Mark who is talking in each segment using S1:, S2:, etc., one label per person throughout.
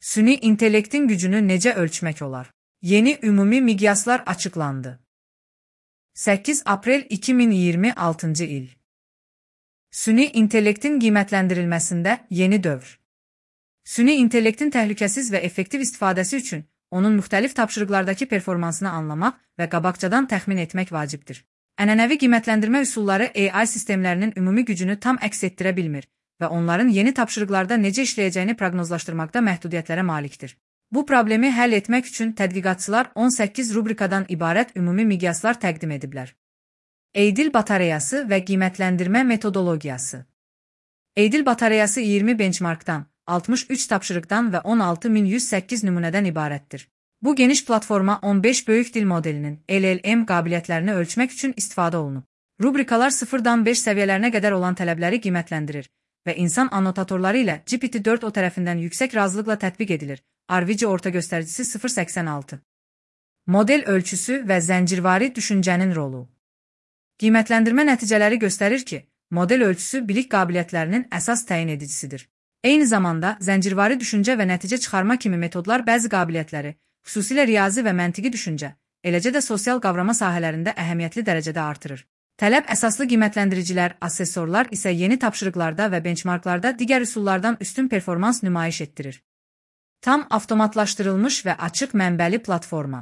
S1: Süni intellektin gücünü necə ölçmək olar? Yeni ümumi miqyaslar açıqlandı. 8 aprel 2026 il. Süni intellektin qiymətləndirilməsində yeni dövr. Süni intellektin təhlükəsiz və effektiv istifadəsi üçün onun müxtəlif tapşırıqlardakı performansını anlamaq və qabaqcadan təxmin etmək vacibdir. Ənənəvi qiymətləndirmə üsulları AI sistemlərinin ümumi gücünü tam əks etdirə bilmir və onların yeni tapşırıqlarda necə işləyəcəyini proqnozlaşdırmaqda məhdudiyyətlərə malikdir. Bu problemi həll etmək üçün tədqiqatçılar 18 rubrikadan ibarət ümumi miqyaslar təqdim ediblər. Eydil batareyası və qiymətləndirmə metodologiyası. Eydil batareyası 20 benchmarkdan, 63 tapşırıqdan və 16108 nümunədən ibarətdir. Bu geniş platforma 15 böyük dil modelinin LLM qabiliyyətlərini ölçmək üçün istifadə olunub. Rubrikalar 0-dan 5 səviyyələrinə qədər olan tələbləri qiymətləndirir və insan annotatorları ilə GPT-4o tərəfindən yüksək razılıqla tətbiq edilir. Arvici orta göstəricisi 0.86. Model ölçüsü və zəncirvari düşüncənin rolu. Qiymətləndirmə nəticələri göstərir ki, model ölçüsü bilik qabiliyyətlərinin əsas təyin edicisidir. Eyni zamanda, zəncirvari düşüncə və nəticə çıxarma kimi metodlar bəzi qabiliyyətləri, xüsusilə riyazi və məntiqi düşüncə, eləcə də sosial qavrama sahələrində əhəmiyyətli dərəcədə artırır. Tələb əsaslı qiymətləndiricilər, asessorlar isə yeni tapşırıqlarda və benchmarklarda digər üsullardan üstün performans nümayiş etdirir. Tam avtomatlaşdırılmış və açıq mənbəli platforma.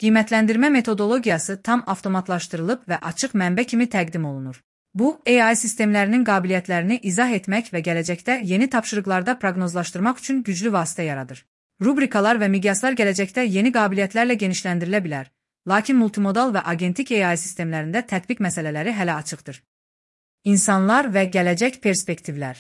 S1: Qiymətləndirmə metodologiyası tam avtomatlaşdırılıb və açıq mənbə kimi təqdim olunur. Bu, AI sistemlərinin qabiliyyətlərini izah etmək və gələcəkdə yeni tapşırıqlarda proqnozlaşdırmaq üçün güclü vasitə yaradır. Rubrikalar və miqyaslar gələcəkdə yeni qabiliyyətlərlə genişləndirilə bilər, lakin multimodal və agentik AI sistemlərində tətbiq məsələləri hələ açıqdır. İnsanlar və gələcək perspektivlər.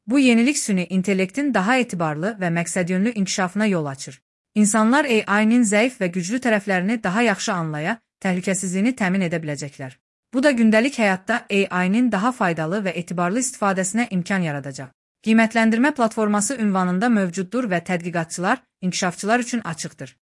S1: Bu yenilik süni intellektin daha etibarlı və məqsədyönlü inkişafına yol açır. İnsanlar AI-nin zəif və güclü tərəflərini daha yaxşı anlaya, təhlükəsizliyini təmin edə biləcəklər. Bu da gündəlik həyatda AI-nin daha faydalı və etibarlı istifadəsinə imkan yaradacaq. Qiymətləndirmə platforması ünvanında mövcuddur və tədqiqatçılar, inkişafçılar üçün açıqdır.